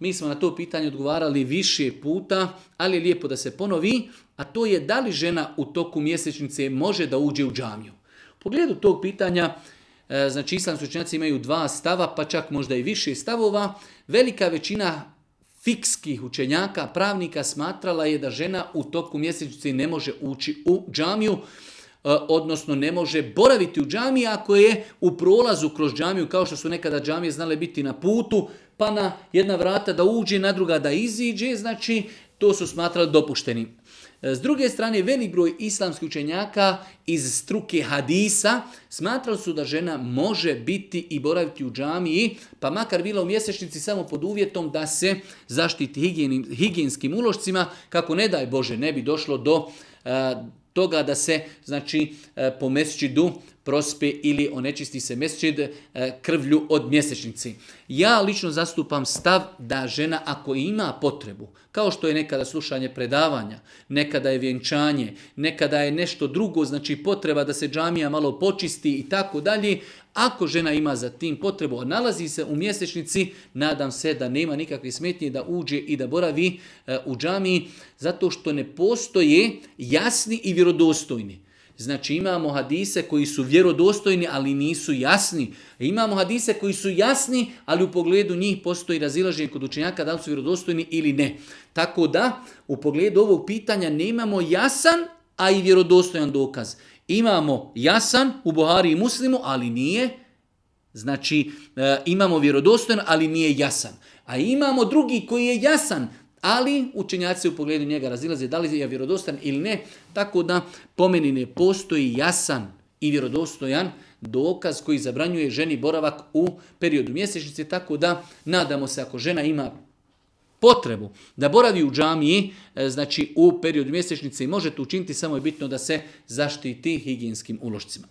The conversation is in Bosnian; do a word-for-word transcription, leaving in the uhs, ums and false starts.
mi smo na to pitanje odgovarali više puta, ali je lijepo da se ponovi, a to je da li žena u toku mjesečnice može da uđe u džamiju. U pogledu tog pitanja, znači islamski učenjaci imaju dva stava, pa čak možda i više stavova. Velika većina fikskih učenjaka, pravnika smatrala je da žena u toku mjesečnice ne može ući u džamiju, odnosno ne može boraviti u džamiji ako je u prolazu kroz džamiju, kao što su nekada džamije znale biti na putu, pa na jedna vrata da uđe, na druga da iziđe, znači to su smatrali dopuštenim. S druge strane, velik broj islamskih učenjaka iz struke hadisa smatrali su da žena može biti i boraviti u džamiji, pa makar bila u mjesečnici samo pod uvjetom da se zaštiti higijenskim ulošcima, kako ne daj Bože ne bi došlo do uh, toga da se znači uh, po mesdžidu prospe ili onečisti se mesdžid uh, krvlju od mjesečnici. Ja lično zastupam stav da žena ako ima potrebu, kao što je nekada slušanje predavanja, nekada je vjenčanje, nekada je nešto drugo, znači potreba da se džamija malo počisti i tako dalje, ako žena ima za tim potrebu, a nalazi se u mjesečnici, nadam se da nema nikakve smetnje da uđe i da boravi uh, u džamiji, zato što ne postoje jasni i vjerodostojni. Znači imamo hadise koji su vjerodostojni, ali nisu jasni. Imamo hadise koji su jasni, ali u pogledu njih postoji razilaženje kod učenjaka da li su vjerodostojni ili ne. Tako da u pogledu ovog pitanja nemamo jasan, a i vjerodostojan dokaz. Imamo jasan u Buhari i Muslimu, ali nije. Znači e, imamo vjerodostojan, ali nije jasan. A imamo drugi koji je jasan, ali učenjaci u pogledu njega razilaze da li je vjerodostan ili ne, tako da po meni ne postoji jasan i vjerodostojan dokaz koji zabranjuje ženi boravak u periodu mjesečnice, tako da nadamo se ako žena ima potrebu da boravi u džamiji, znači u periodu mjesečnice i može to učiniti, samo je bitno da se zaštiti higijenskim ulošcima.